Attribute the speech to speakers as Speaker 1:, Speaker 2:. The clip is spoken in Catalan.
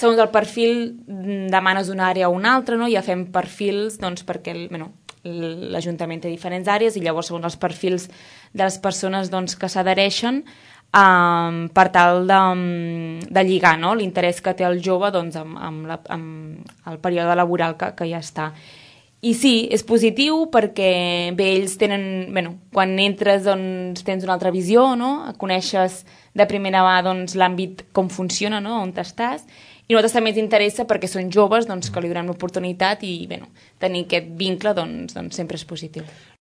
Speaker 1: segons el perfil demanes una àrea o una altra, no? Ja fem perfils doncs, perquè l'Ajuntament té diferents àrees i llavors segons els perfils de les persones doncs, que s'adhereixen per tal de lligar, no? L'interès que té el jove doncs, amb el període laboral que ja està. I sí, és positiu perquè ells tenen... quan entres doncs, tens una altra visió, no? Coneixes de primera mà doncs, l'àmbit com funciona, no? On estàs. I a nosaltres també ens interessa perquè són joves doncs, que li donem l'oportunitat i tenir aquest vincle doncs, sempre és positiu.